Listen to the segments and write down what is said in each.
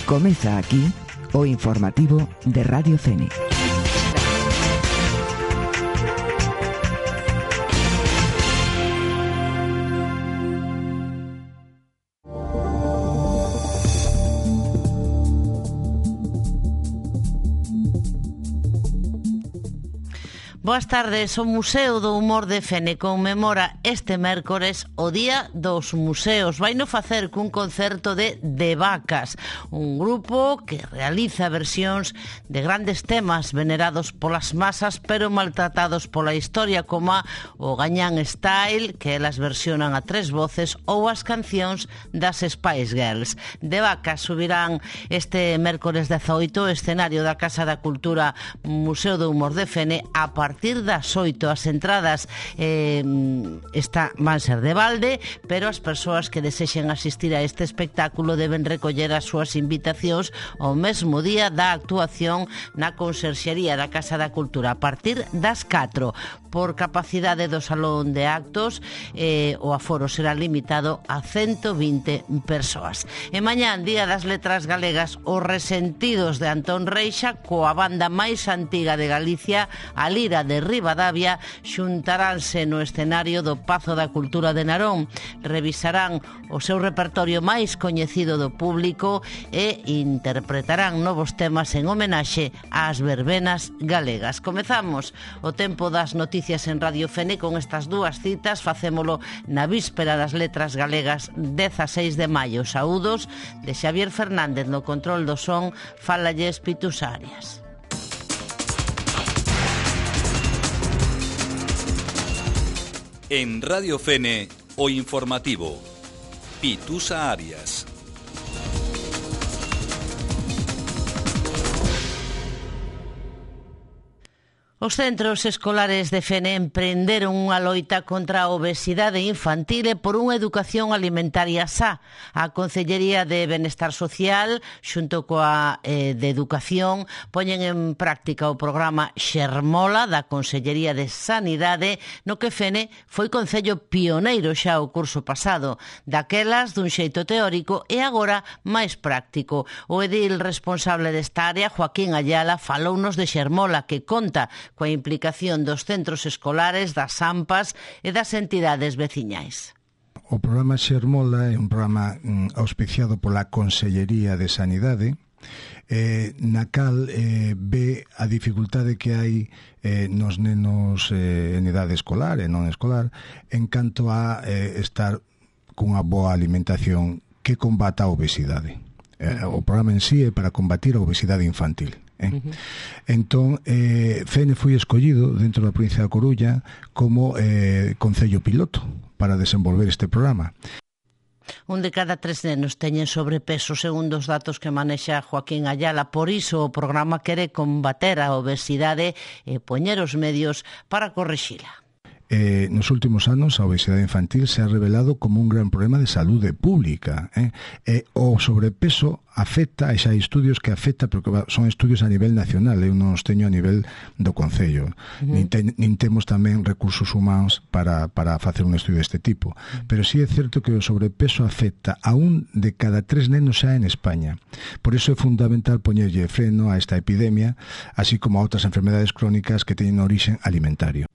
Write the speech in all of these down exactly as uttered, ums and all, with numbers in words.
Comeza aquí o informativo de Radio Fene. Boas tardes. O Museo do Humor de Fene conmemora este mércores o Día dos Museos. Vaino facer cun concerto de De Vacas, un grupo que realiza versións de grandes temas venerados polas masas pero maltratados pola historia, como o Gañán Style, que elas versionan a tres voces, ou as cancións das Spice Girls. De Vacas subirán este mércores dezaoito o escenario da Casa da Cultura Museo do Humor de Fene a partir A partir das oito. As entradas eh, está, van ser de balde, pero as persoas que desexen asistir a este espectáculo deben recoller as súas invitacións ao mesmo día da actuación na Conserxería da Casa da Cultura a partir das catro. Por capacidade do salón de actos, eh, o aforo será limitado a ciento vinte persoas. E mañán, Día das Letras Galegas, os Resentidos de Antón Reixa, coa banda máis antiga de Galicia, a Lira de Ribadavia, xuntaránse no escenario do Pazo da Cultura de Narón. Revisarán o seu repertorio máis coñecido do público e interpretarán novos temas en homenaxe ás verbenas galegas. Comezamos o tempo das noticias en Radio Fene con estas dúas citas. Facémolo na víspera das Letras Galegas, dezaseis de maio. Saúdos de Xavier Fernández no control do son. Fálalles Pitus Arias. En Radio Fene, o informativo, Pitusa Arias. Os centros escolares de Fene emprenderon unha loita contra a obesidade infantil e por unha educación alimentaria sá. A Consellería de Benestar Social, xunto coa eh, de Educación, poñen en práctica o programa Xermola da Consellería de Sanidade, no que Fene foi concello pioneiro xa o curso pasado, daquelas dun xeito teórico e agora máis práctico. O edil responsable desta área, Joaquín Ayala, falounos de Xermola, que conta coa implicación dos centros escolares, das AMPAs e das entidades veciñais. O programa Xermola é un programa mm, auspiciado pola Consellería de Sanidade, eh, na cal eh, ve a dificultade que hai eh, nos nenos eh, en idade escolar e non escolar en canto a eh, estar cunha boa alimentación que combata a obesidade. Eh, o programa en sí é para combatir a obesidade infantil. Eh? Uh-huh. Entón, eh, Fene foi escollido dentro da provincia da Coruña como eh, concello piloto para desenvolver este programa. Un de cada tres nenos teñen sobrepeso, segundo os datos que manexa Joaquín Ayala. Por iso o programa quere combater a obesidade e poñer os medios para corrixila. Eh, nos últimos anos a obesidade infantil se ha revelado como un gran problema de saúde pública. Eh? Eh, o sobrepeso afecta, e xa hai estudios que afecta, porque son estudios a nivel nacional, eu non os teño a nivel do Concello. Uh-huh. nin, te, nin temos tamén recursos humanos para, para facer un estudio deste tipo. Uh-huh. Pero sí é certo que o sobrepeso afecta a un de cada tres nenos xa en España. Por iso é fundamental poñerlle freno a esta epidemia, así como a outras enfermedades crónicas que teñen origen alimentario.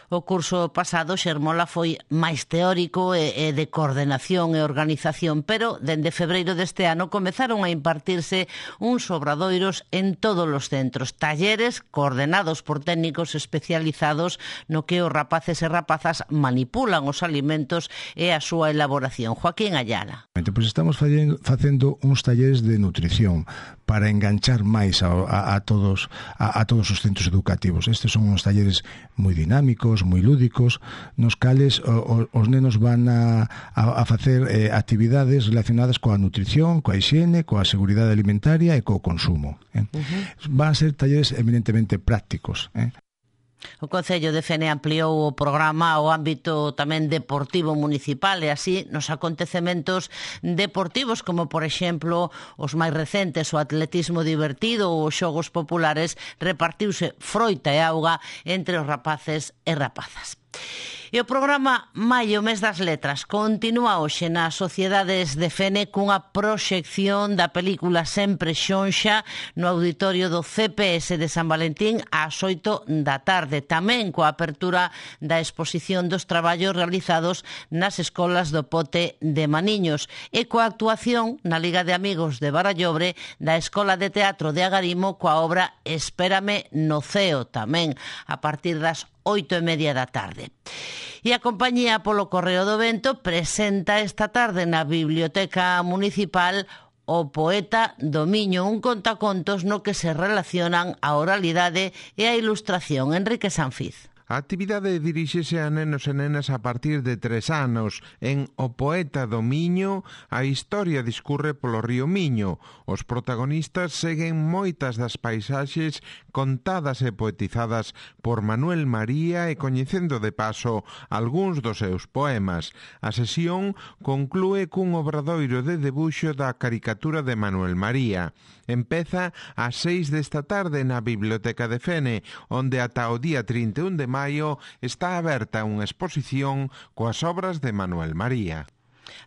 O curso pasado Xermola foi máis teórico e, e de coordenación e organización, pero dende febreiro deste ano comezaron a impartirse uns obradoiros en todos os centros, talleres coordenados por técnicos especializados no que os rapaces e rapazas manipulan os alimentos e a súa elaboración. Joaquín Ayala. Pois estamos facendo uns talleres de nutrición para enganchar máis a, a, a todos a, a todos os centros educativos. Estes son uns talleres moi dinámicos, moi lúdicos, nos cales o, o, os nenos van a, a, a facer eh, actividades relacionadas coa nutrición, coa higiene, coa seguridade alimentaria e co consumo. Eh? Uh-huh. Van a ser talleres eminentemente prácticos. Eh? O Concello de Fene ampliou o programa ao ámbito tamén deportivo municipal e así nos acontecementos deportivos como, por exemplo, os máis recentes, o atletismo divertido ou os xogos populares, repartiuse froita e auga entre os rapaces e rapazas. E o programa Maio, mes das letras, continúa hoxe nas sociedades de Fene cunha proxección da película Sempre Xonxa no auditorio do C P S de San Valentín ás oito da tarde, tamén coa apertura da exposición dos traballos realizados nas escolas do Pote de Maniños e coa actuación na Liga de Amigos de Barallobre da Escola de Teatro de Agarimo coa obra Espérame no Ceo, tamén a partir das oito e media da tarde. E a compañía polo Correo do Vento presenta esta tarde na Biblioteca Municipal O Poeta do Miño, un contacontos no que se relacionan a oralidade e a ilustración. Enrique Sanfiz. A actividade diríxese a nenos e nenas a partir de tres anos. En O Poeta do Miño, a historia discurre polo río Miño. Os protagonistas seguen moitas das paisaxes contadas e poetizadas por Manuel María e coñecendo de paso algúns dos seus poemas. A sesión conclúe cun obradoiro de debuxo da caricatura de Manuel María. Empeza ás seis desta tarde na Biblioteca de Fene, onde ata o día trinta e un de maio está aberta unha exposición coas obras de Manuel María.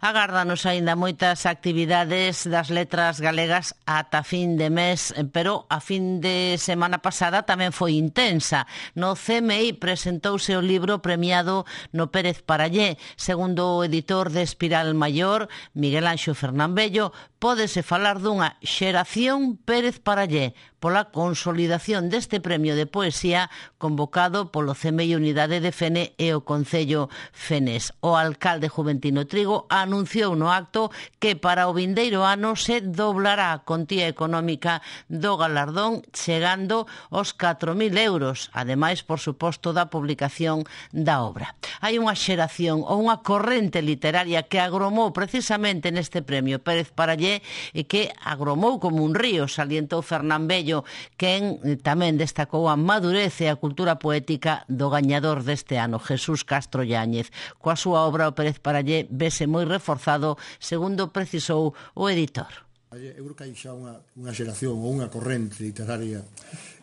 Agárdanos aínda moitas actividades das letras galegas ata fin de mes, pero a fin de semana pasada tamén foi intensa. No C M I presentouse o libro premiado no Pérez Parallé. Segundo o editor de Espiral Maior, Miguel Anxo Fernambello, pódese falar dunha xeración Pérez Parallé pola consolidación deste premio de poesía convocado polo C M I Unidade de Fene e o Concello Fenés. O alcalde Juventino Trigo anunciou no acto que para o vindeiro ano se doblará a contía económica do galardón chegando aos catro mil euros, ademais, por suposto, da publicación da obra. Hai unha xeración ou unha corrente literaria que agromou precisamente neste premio Pérez Parallé e que agromou como un río, salientou Fernán Bello, quen tamén destacou a madurez e a cultura poética do gañador deste ano, Jesús Castro Yáñez. Coa súa obra, o Pérez Parallé vese moi reforzado, segundo precisou o editor. Eu creo que hai xa unha, unha xeración ou unha corrente literaria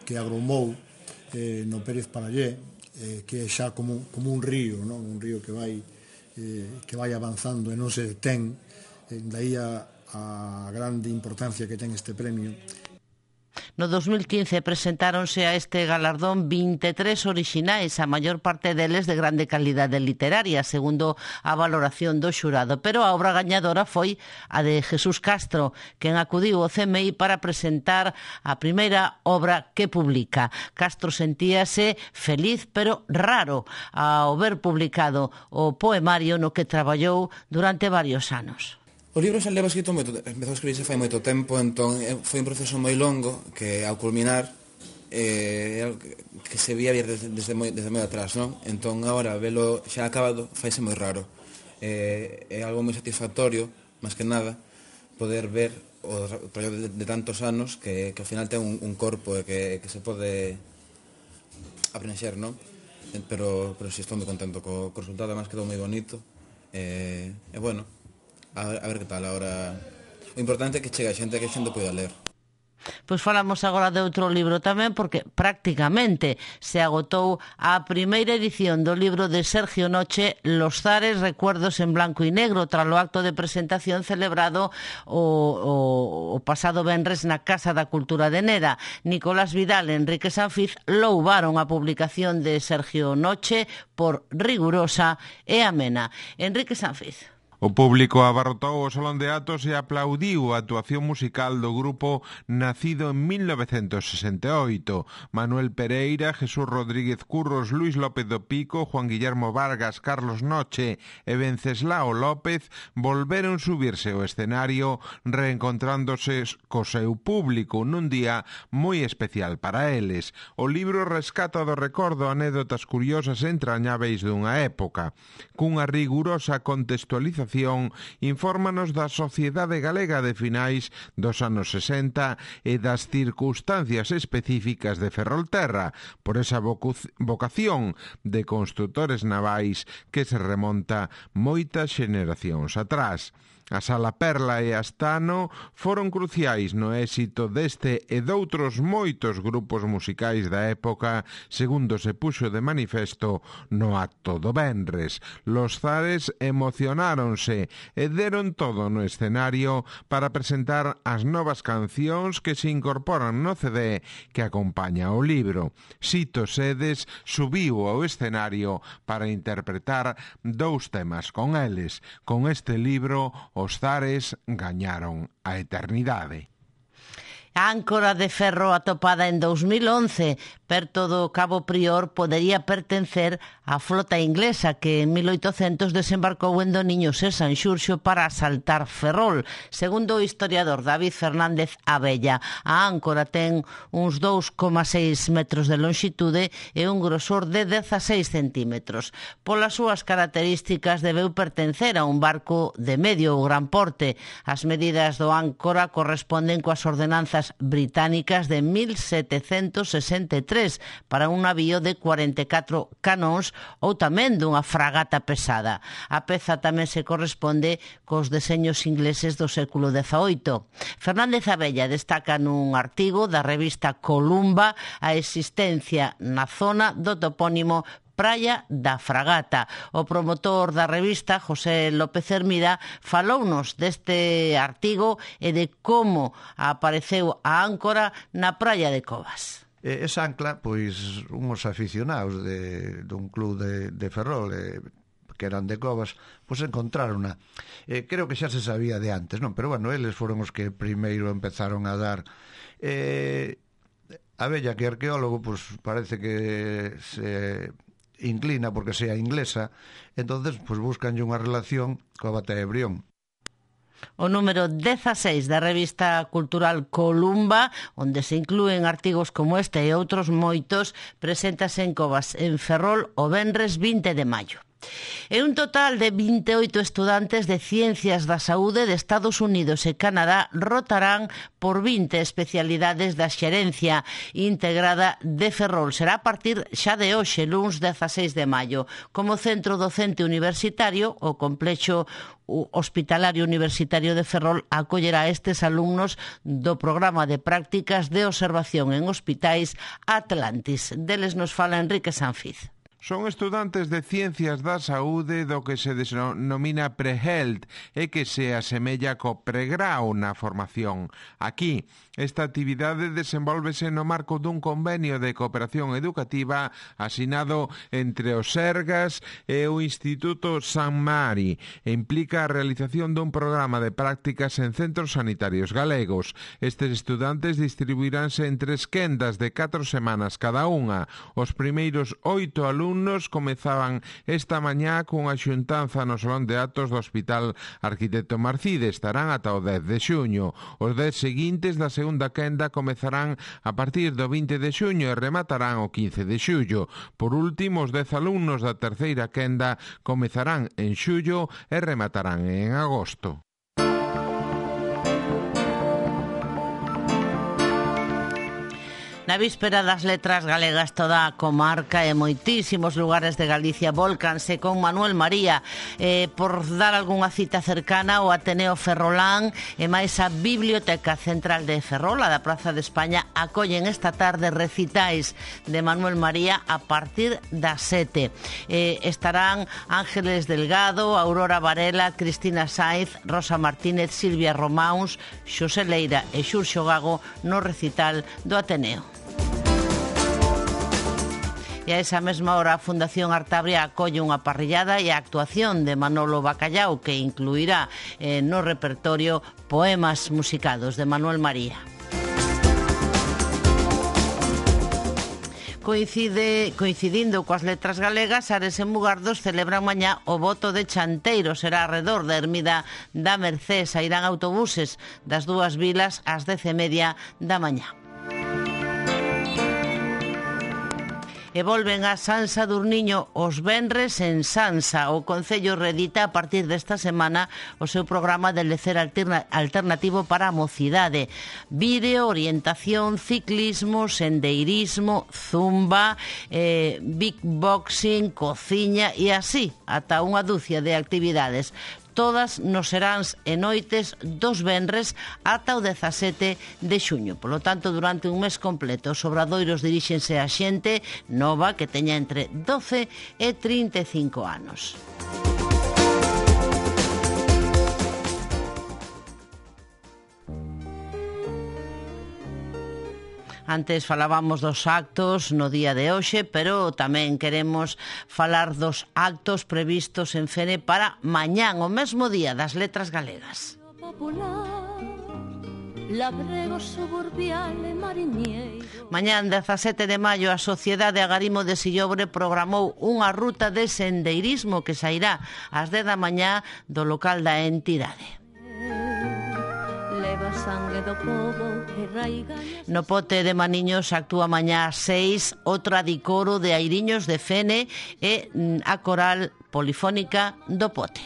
que agromou eh, no Pérez Parallé, eh, que é xa como, como un río, non? Un río que vai, eh, que vai avanzando e non se detén, eh, daí a, a grande importancia que ten este premio. No dos mil quince presentáronse a este galardón vinte e tres orixinais, a maior parte deles de grande calidade literaria, segundo a valoración do xurado, pero a obra gañadora foi a de Jesús Castro, quen acudiu ao C M I para presentar a primeira obra que publica. Castro sentíase feliz pero raro ao ver publicado o poemario no que traballou durante varios anos. O libro xa leva escrito moito, empezou a escribirse fai moito tempo, entón foi un proceso moi longo que ao culminar eh, que se vía desde, desde, moi, desde moi atrás, non? Entón agora velo xa acabado faise moi raro. Eh, é algo moi satisfactorio, máis que nada, poder ver o traballo de, de tantos anos que, que ao final ten un, un corpo e que, que se pode aprender, non? Pero, pero si estou moi contento co, co resultado, además quedou moi bonito e, e bueno, A ver, a ver que tal agora. O importante é que chegue a xente, que a xente poida ler. Pois falamos agora de outro libro tamén, porque prácticamente se agotou a primeira edición do libro de Sergio Noche, Los Zares, recuerdos en blanco e negro, tras o acto de presentación celebrado o, o, o pasado venres na Casa da Cultura de Neda. Nicolás Vidal e Enrique Sanfiz louvaron a publicación de Sergio Noche por rigurosa e amena. Enrique Sanfiz. O público abarrotou o Salón de Atos e aplaudiu a actuación musical do grupo nacido en mil novecentos sesenta e oito. Manuel Pereira, Jesús Rodríguez Curros, Luis López do Pico, Juan Guillermo Vargas, Carlos Noche e Venceslao López volveron subirse ao escenario reencontrándose co seu público nun día moi especial para eles. O libro rescata do recordo anécdotas curiosas e entrañáveis dunha época, cunha rigurosa contextualización xeración infórmanos da sociedade galega de finais dos anos sesenta e das circunstancias específicas de Ferrolterra, por esa vocación de construtores navais que se remonta moitas xeneracións atrás. A Sala Perla e Astano foron cruciais no éxito deste e doutros moitos grupos musicais da época, segundo se puxo de manifesto no acto do venres. Los Zares emocionáronse e deron todo no escenario para presentar as novas cancións que se incorporan no C D que acompaña o libro. Sito Sedes subiu ao escenario para interpretar dous temas con eles. Con este libro, os Zares gañaron a eternidade. A áncora de ferro atopada en dos mil once perto do Cabo Prior podería pertencer á flota inglesa que en mil oitocentos desembarcou en Doniños e Sanxurxo para asaltar Ferrol. Segundo o historiador David Fernández Abella, a áncora ten uns dous coma seis metros de longitude e un grosor de dezaseis centímetros. Polas súas características debeu pertencer a un barco de medio ou gran porte. As medidas do áncora corresponden coas ordenanzas británicas de mil setecentos sesenta e tres para un navío de cuarenta e catro canóns ou tamén dunha fragata pesada. A peza tamén se corresponde cos deseños ingleses do século dezaoito. Fernández Abella destaca nun artigo da revista Columba a existencia na zona do topónimo Praia da Fragata. O promotor da revista, José López Hermida, falounos deste artigo e de como apareceu a áncora na praia de Covas. Esa ancla, pois, uns aficionados de, dun club de, de Ferrol, eh, que eran de Covas, pois encontrarona. Eh, creo que xa se sabía de antes, non? Pero, bueno, eles foron os que primeiro empezaron a dar... Eh, Abella, que arqueólogo, pois parece que se inclina porque sea inglesa, entonces pues buscanlle unha relación coa batalla de Brión. O número dezaseis da revista cultural Columba, onde se inclúen artigos como este e outros moitos, preséntase en Covas, en Ferrol, o venres vinte de maio. E un total de vinte e oito estudantes de Ciencias da Saúde de Estados Unidos e Canadá rotarán por vinte especialidades da xerencia integrada de Ferrol. Será a partir xa de hoxe, luns dezaseis de maio. Como centro docente universitario, o complexo hospitalario universitario de Ferrol acollerá estes alumnos do programa de prácticas de observación en hospitais Atlantis. Deles nos fala Enrique Sanfiz. Son estudantes de Ciencias da Saúde do que se denomina Pre-Health e que se asemella co pregrau na formación. Aquí, esta actividade desenvólvese no marco dun convenio de cooperación educativa asinado entre o Sergas e o Instituto San Mari e implica a realización dun programa de prácticas en centros sanitarios galegos. Estes estudantes distribuiránse en tres quendas de catro semanas cada unha. Os primeiros oito alumnos Nos comezaban esta mañá cunha xuntanza no Salón de Actos do Hospital Arquitecto Marcide. Estarán ata o dez de xuño. Os dez seguintes da segunda quenda comezarán a partir do vinte de xuño e rematarán o quince de xullo. Por último, os dez alumnos da terceira quenda comezarán en xullo e rematarán en agosto. Na víspera das letras galegas toda a comarca e moitísimos lugares de Galicia volcanse con Manuel María. Eh, por dar algunha cita cercana, o Ateneo Ferrolán e máis a Biblioteca Central de Ferrol, a da Praza de España, acollen esta tarde recitais de Manuel María a partir das sete. Eh, estarán Ángeles Delgado, Aurora Varela, Cristina Saiz, Rosa Martínez, Silvia Románs, Xosé Leira e Xurxo Gago no recital do Ateneo. E a esa mesma hora a Fundación Artabria acolle unha parrillada e a actuación de Manolo Bacallao que incluirá eh, no repertorio poemas musicados de Manuel María. Coincide, coincidindo coas letras galegas, Ares e Mugardos celebran mañá o voto de Chanteiro. Será arredor da ermida da Mercés. Sairán autobuses das dúas vilas ás dez e media da mañá. E volven a San Sadurniño os venres en Sansa. O Concello reedita a partir desta semana o seu programa de lecer alterna, alternativo para a mocidade. Vídeo, orientación, ciclismo, sendeirismo, zumba, eh, big boxing, cociña e así, ata unha dúcia de actividades. Todas nos seráns e noites dos venres ata o dezasete de xuño. Polo tanto, durante un mes completo, os obradoiros diríxense a xente nova que teña entre doce e trinta e cinco anos. Antes falábamos dos actos no día de hoxe, pero tamén queremos falar dos actos previstos en Fene para mañán, o mesmo día das letras galegas. Mañán, dezasete de maio, a Sociedade Agarimo de Sillobre programou unha ruta de sendeirismo que sairá ás dez da mañá do local da entidade. No Pote de Maniños actúa mañá ás seis o Tradicoro de Airiños de Fene e a Coral Polifónica do Pote.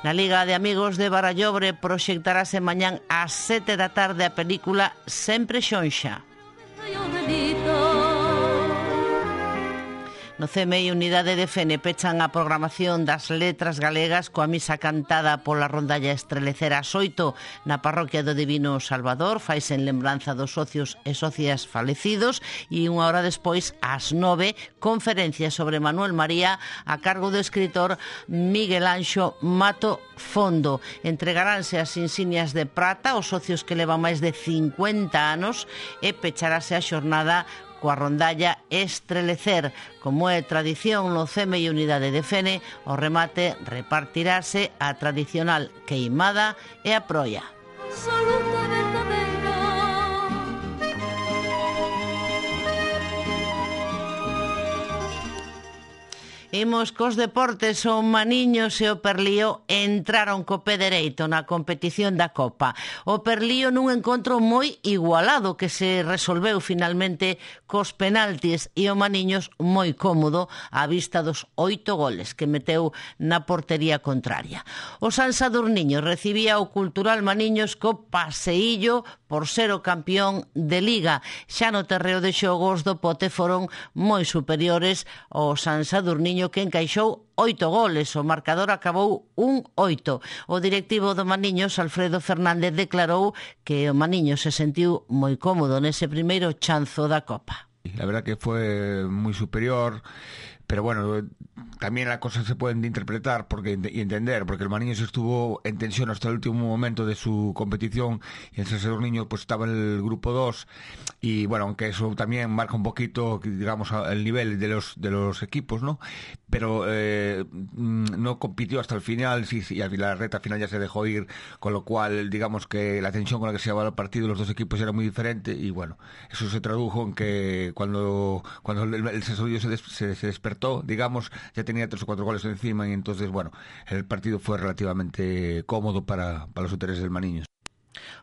Na Liga de Amigos de Barallobre proxectarase mañán ás sete da tarde a película Sempre Xonxa. No C M I Unidade de Fene pechan a programación das letras galegas coa misa cantada pola rondalla Estrelecer ás oito na parroquia do Divino Salvador. Faise en lembranza dos socios e socias falecidos e unha hora despois, ás nove, conferencia sobre Manuel María a cargo do escritor Miguel Anxo Mato Fondo. Entregaránse as insignias de prata aos socios que levan máis de cincuenta anos e pecharase a xornada coa rondalla Estrelecer. Como é tradición no C M I Unidade de Fene, o remate repartirase a tradicional queimada e a proia. Imos cos deportes. O Maniños e o Perlío entraron co pé dereito na competición da Copa. O Perlío nun encontro moi igualado que se resolveu finalmente cos penaltis e o Maniños moi cómodo á vista dos oito goles que meteu na portería contraria. O San Sadurniño recibía o Cultural Maniños co paseillo por ser o campeón de Liga. Xa no terreo de xogos do Pote foron moi superiores ao San Sadurniño, que encaixou oito goles. O marcador acabou un oito. O directivo do Maniños, Alfredo Fernández, declarou que o Maniños se sentiu moi cómodo nese primeiro chanzo da Copa. La verdad que fue muy superior, pero bueno, también las cosas se pueden interpretar porque, y entender, porque el Maniños estuvo en tensión hasta el último momento de su competición y el San Sadurniño pues estaba en el grupo dos y bueno, aunque eso también marca un poquito, digamos, el nivel de los de los equipos, ¿no? Pero eh, no compitió hasta el final, sí, sí, y al la reta final ya se dejó ir, con lo cual digamos que la tensión con la que se llevaba el partido los dos equipos era muy diferente y bueno, eso se tradujo en que cuando cuando el, el San Sadurniño se, des, se, se despertó, digamos, ya tenía tres o cuatro goles encima y entonces, bueno, el partido fue relativamente cómodo para, para los intereses del Maniños.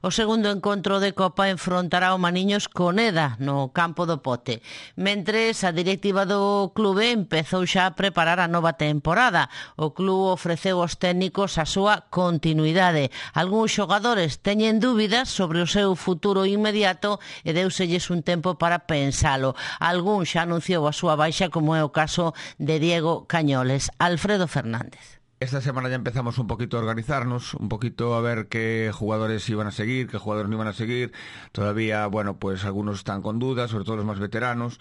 O segundo encontro de Copa enfrontará o Maniños con Eda no campo do Pote. Mentres, a directiva do clube empezou xa a preparar a nova temporada. O clube ofreceu aos técnicos a súa continuidade. Algúns xogadores teñen dúbidas sobre o seu futuro inmediato e deuselles un tempo para pensalo. Algún xa anunciou a súa baixa, como é o caso de Diego Cañoles. Alfredo Fernández. Esta semana ya empezamos un poquito a organizarnos, un poquito a ver qué jugadores iban a seguir, qué jugadores no iban a seguir. Todavía, bueno, pues algunos están con dudas, sobre todo los más veteranos,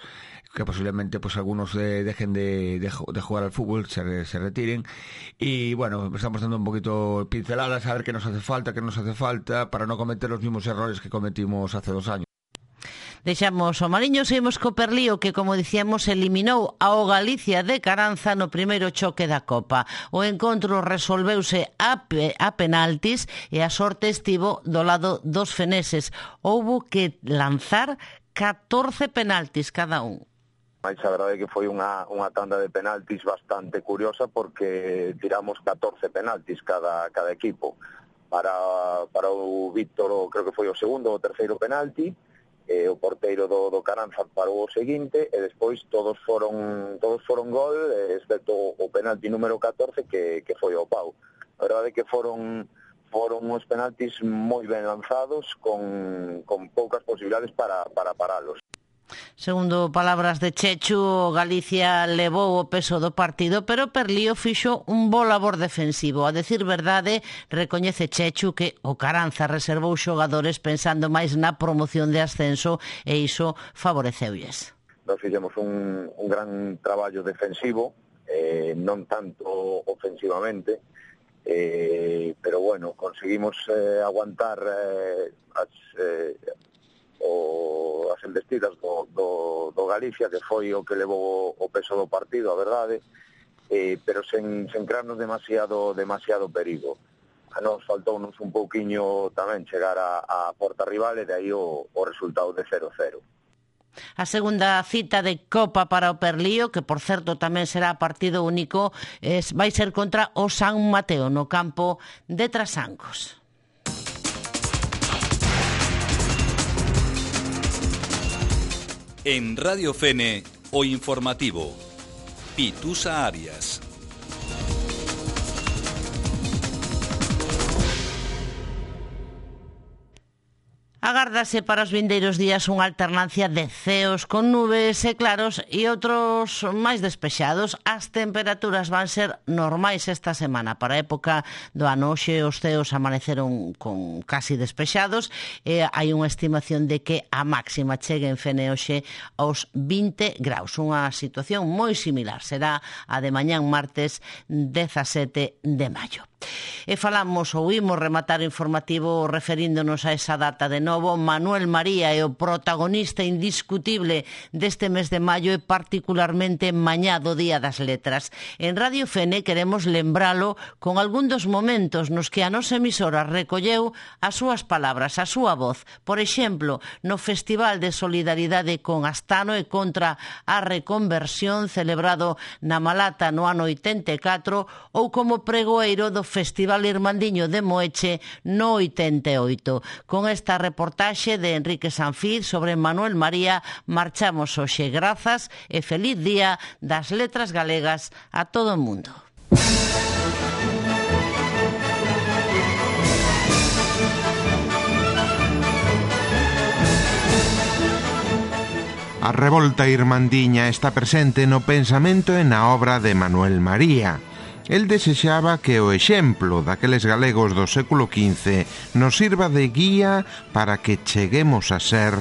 que posiblemente pues algunos de, dejen de, de, de jugar al fútbol, se, se retiren. Y bueno, estamos dando un poquito pinceladas a ver qué nos hace falta, qué nos hace falta, para no cometer los mismos errores que cometimos hace dos años. Deixamos o Mariños e imos co Perlío, que, como dicíamos, eliminou ao Galicia de Caranza no primeiro choque da Copa. O encontro resolveuse a, pe, a penaltis e a sorte estivo do lado dos feneses. Houbo que lanzar catorce penaltis cada un. Mais a verdade é que foi unha, unha tanda de penaltis bastante curiosa, porque tiramos catorce penaltis cada, cada equipo. Para, para o Víctor, creo que foi o segundo ou o terceiro penalti, e o porteiro do, do Caranza parou o seguinte, e despois todos foron todos foron gol, excepto o penalti número catorce que, que foi ao pau. A verdade é que foron foron uns penaltis moi ben lanzados, con, con poucas posibilidades para, para paralos. Segundo palabras de Chechu, Galicia levou o peso do partido, pero Perlío fixo un bo labor defensivo. A decir verdade, recoñece Chechu que o Caranza reservou xogadores pensando máis na promoción de ascenso e iso favoreceulles. Nos fixemos un, un gran traballo defensivo, eh, non tanto ofensivamente, eh, pero bueno, conseguimos eh, aguantar eh, as... Eh, o as embestidas do, do, do Galicia, que foi o que levou o peso do partido, a verdade, eh, pero sen, sen crearnos demasiado, demasiado perigo. A nos faltounos un pouquiño tamén chegar a, a porta rival e de aí o, o resultado de cero cero. A segunda cita de Copa para o Perlío, que por certo tamén será partido único, es, vai ser contra o San Mateo no campo de Trasancos. En Radio Fene, o informativo, Pitusa Arias. Agárdase para os vindeiros días unha alternancia de ceos con nubes e claros e outros máis despexados. As temperaturas van ser normais esta semana. Para a época do ano, hoxe os ceos amaneceron con casi despexados e hai unha estimación de que a máxima chegue en Fene hoxe aos vinte graus. Unha situación moi similar. Será a de mañán martes dezasete de maio. E falamos ou imos rematar o informativo referíndonos a esa data de novo. Manuel María é o protagonista indiscutible deste mes de maio e particularmente mañá do Día das Letras. En Radio Fene queremos lembralo con algún dos momentos nos que a nosa emisora recolleu as súas palabras, a súa voz. Por exemplo, no Festival de Solidaridade con Astano e contra a reconversión celebrado na Malata no ano oitenta e catro ou como pregoeiro do Festival Irmandiño de Moeche no oitenta e oito. Con esta reportaxe de Enrique Sanfiz sobre Manuel María marchamos hoxe. Grazas e feliz Día das Letras Galegas a todo o mundo. A revolta irmandiña está presente no pensamento e na obra de Manuel María. El desexaba que o exemplo daqueles galegos do século quince nos sirva de guía para que cheguemos a ser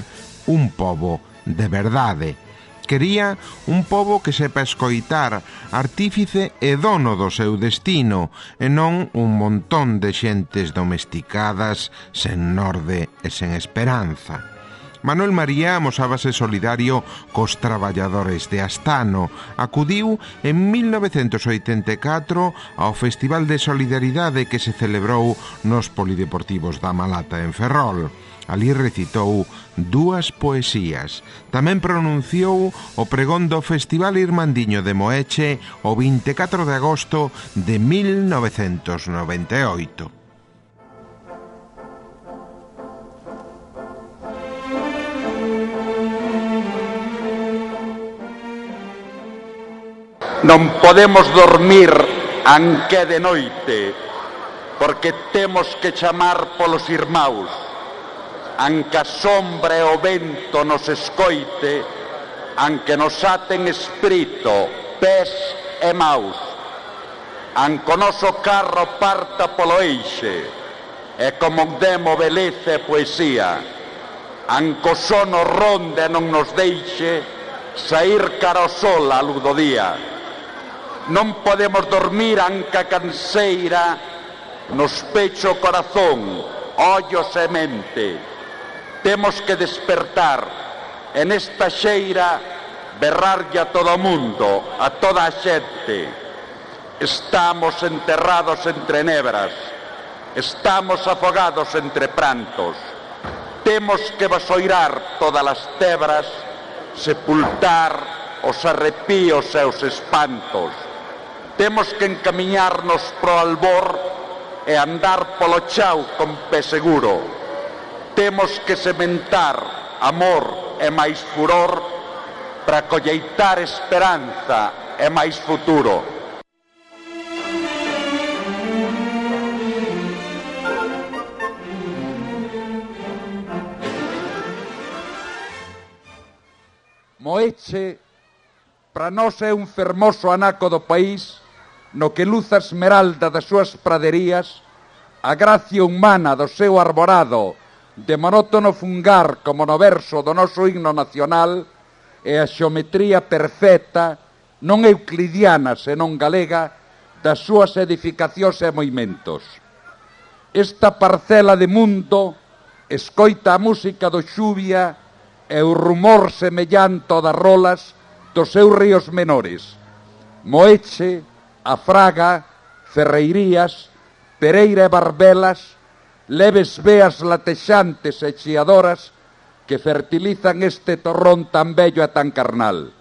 un pobo de verdade. Quería un pobo que sepa escoitar, artífice e dono do seu destino, e non un montón de xentes domesticadas, sen norde e sen esperanza. Manuel María amosábase solidario cos traballadores de Astano. Acudiu en mil novecentos oitenta e catro ao Festival de Solidaridade que se celebrou nos Polideportivos da Malata en Ferrol. Ali recitou dúas poesías. Tamén pronunciou o pregón do Festival Irmandiño de Moeche o vinte e catro de agosto de mil novecentos noventa e oito. Non podemos dormir anque de noite, porque temos que chamar polos irmáus, anque a sombra e o vento nos escoite, anque nos aten espírito, pés e maus, anque o noso carro parta polo eixe, e como demo beleza e poesía, anque o sono ronde non nos deixe saír cara ao sol a luz do día. Non podemos dormir anque a canseira nos pecho o corazón, ollos e mente. Temos que despertar e nesta xeira berrarlle a todo o mundo, a toda a xente. Estamos enterrados entre nebras, estamos afogados entre prantos. Temos que vasoirar todas as tebras, sepultar os arrepíos e os espantos. Temos que encamiñarnos pro albor e andar polo chao con pé seguro. Temos que sementar amor e máis furor para colleitar esperanza e máis futuro. Moeche, para nós é un fermoso anaco do país no que luz a esmeralda das súas praderías, a gracia humana do seu arborado de monótono fungar como no verso do noso himno nacional e a xeometría perfecta, non euclidiana senón galega, das súas edificacións e moimentos. Esta parcela de mundo escoita a música do xuvia e o rumor semellanto das rolas dos seus ríos menores. Moeche, a Fraga, Ferreirías, Pereira e Barbelas, leves veas latexantes e chiadoras que fertilizan este torrón tan bello e tan carnal.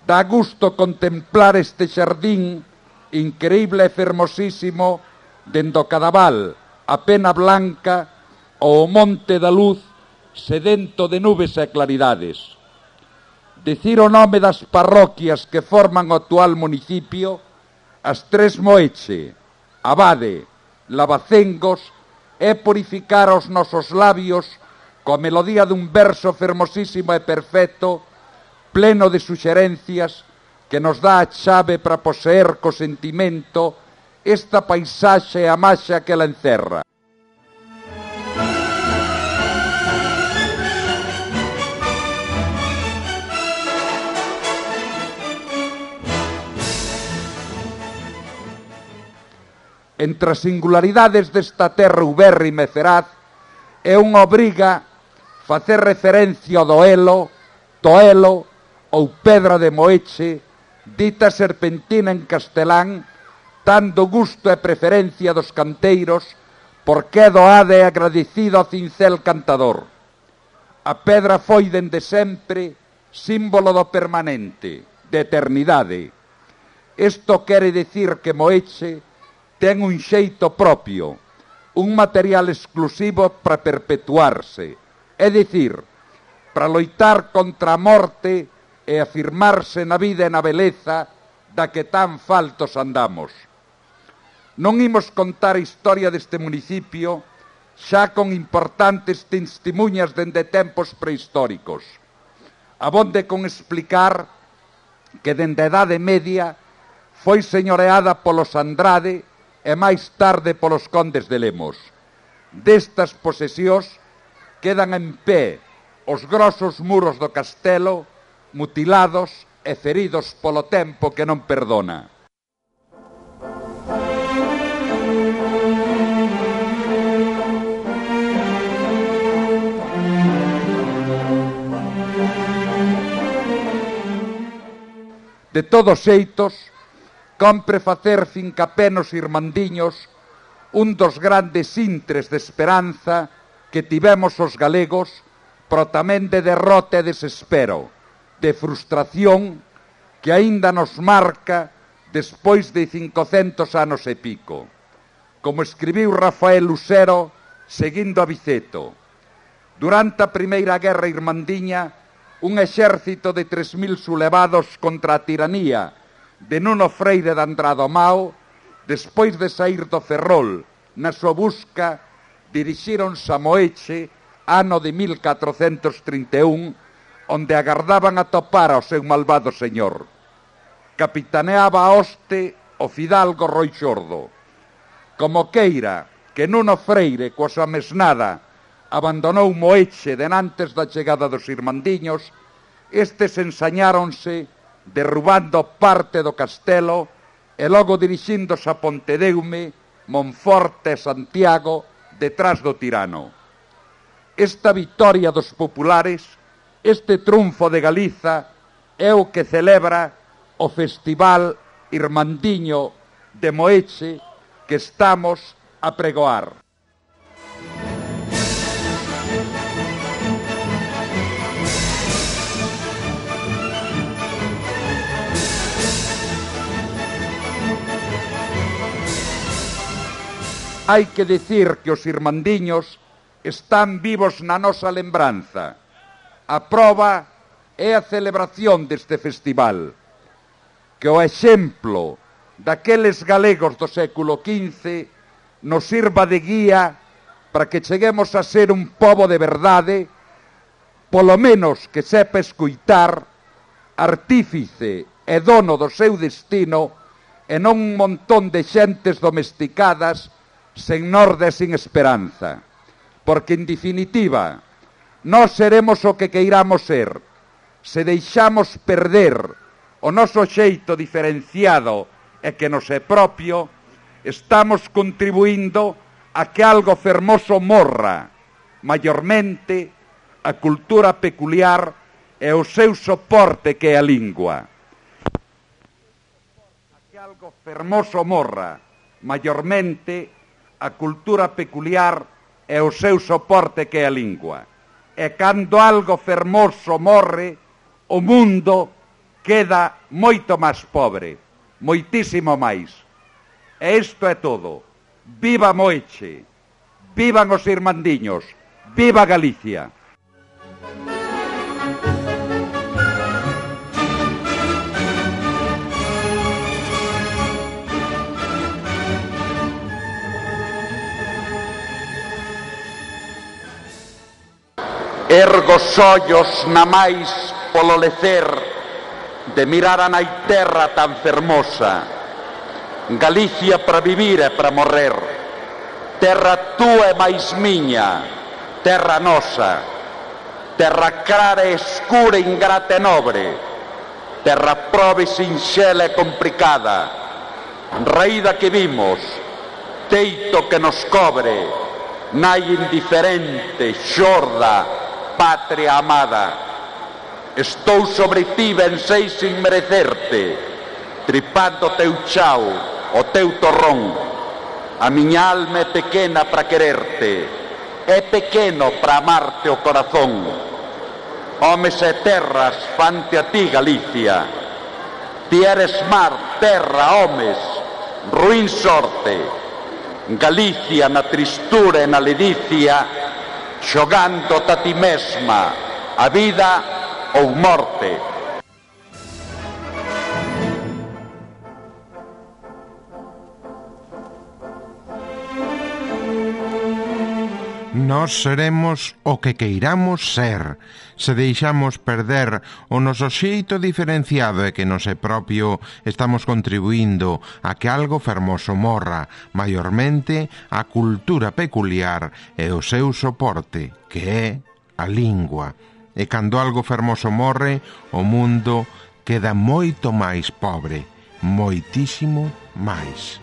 Dá gusto contemplar este xardín increíble e fermosísimo dende o Cadaval, a Pena Blanca ou o Monte da Luz sedento de nubes e claridades. Dicir o nome das parroquias que forman o actual municipio, as tres Moeche, Abade, Lavacengos, é purificar os nosos labios coa melodía dun verso fermosísimo e perfecto, pleno de suxerencias, que nos dá a chave para poseer co sentimento esta paisaxe e a maxa que la encerra. Entre as singularidades desta terra ubérrima e feraz, é unha obriga facer referencia ao doelo, toelo ou pedra de Moeche, dita serpentina en castelán, dando gusto e preferencia dos canteiros, porque é doada e agradecido ao cincel cantador. A pedra foi dende sempre símbolo do permanente, de eternidade. Isto quere dicir que Moeche ten un xeito propio, un material exclusivo para perpetuarse, é dicir, para loitar contra a morte e afirmarse na vida e na beleza da que tan faltos andamos. Non imos contar a historia deste municipio xa con importantes testemunhas dende tempos prehistóricos. Abonde con explicar que dende a Edade Media foi señoreada polos Andrade e máis tarde polos condes de Lemos. Destas posesións quedan en pé os grosos muros do castelo, mutilados e feridos polo tempo que non perdona. De todos xeitos, compre facer fincapé nos irmandiños un dos grandes intres de esperanza que tivemos os galegos, pero tamén de derrota e desespero, de frustración que aínda nos marca despois de cincocentos anos e pico. Como escribiu Rafael Lucero, seguindo a Viceto, durante a Primeira Guerra Irmandiña, un exército de tres mil sublevados contra a tiranía de Nuno Freire de Andrado Mao, despois de saír do Ferrol na súa busca, dirixíronse a Moeche, ano de mil catrocentos trinta e un, onde agardaban a topar ao seu malvado señor. Capitaneaba a hoste o fidalgo Roi Xordo. Como queira que Nuno Freire, coa súa mesnada, abandonou Moeche denantes da chegada dos irmandiños, estes ensañáronse derrubando parte do castelo e logo dirixíndose a Pontedeume, Monforte e Santiago detrás do tirano. Esta vitoria dos populares, este triunfo de Galiza, é o que celebra o Festival Irmandiño de Moeche que estamos a pregoar. Hai que dicir que os irmandiños están vivos na nosa lembranza, a proba é a celebración deste festival, que o exemplo daqueles galegos do século quince nos sirva de guía para que cheguemos a ser un pobo de verdade, polo menos que sepa escoitar, artífice e dono do seu destino, e non un montón de xentes domesticadas sen norde e sin esperanza. Porque, en definitiva, nós seremos o que queiramos ser. Se deixamos perder o noso xeito diferenciado e que nos é propio, estamos contribuindo a que algo fermoso morra, maiormente a cultura peculiar e o seu soporte que é a lingua. A que algo fermoso morra, maiormente a cultura peculiar e o seu soporte que é a lingua. E cando algo fermoso morre, o mundo queda moito máis pobre, moitísimo máis. E isto é todo. Viva Moeche, vivan os irmandiños, viva Galicia. Ergo os ollos na máis polo lecer de mirar a nai terra tan fermosa, Galicia para vivir e para morrer, terra túa e máis miña, terra nosa, terra clara e escura, ingrata e nobre, terra proba e sinxela e complicada, raída que vimos, teito que nos cobre, nai indiferente, xorda, patria amada. Estou sobre ti, ben sei sin merecerte, tripando o teu chao, o teu torrón. A miña alma é pequena para quererte, é pequeno para amarte o corazón. Homes e terras fante a ti, Galicia. Ti eres mar, terra, homes, ruín sorte. Galicia na tristura e na ledicia, xogándote a ti mesma, a vida ou morte. Nós seremos o que queiramos ser. Se deixamos perder o noso xeito diferenciado e que nos é propio, estamos contribuindo a que algo fermoso morra, maiormente a cultura peculiar e o seu soporte, que é a lingua. E cando algo fermoso morre, o mundo queda moito máis pobre, moitísimo máis.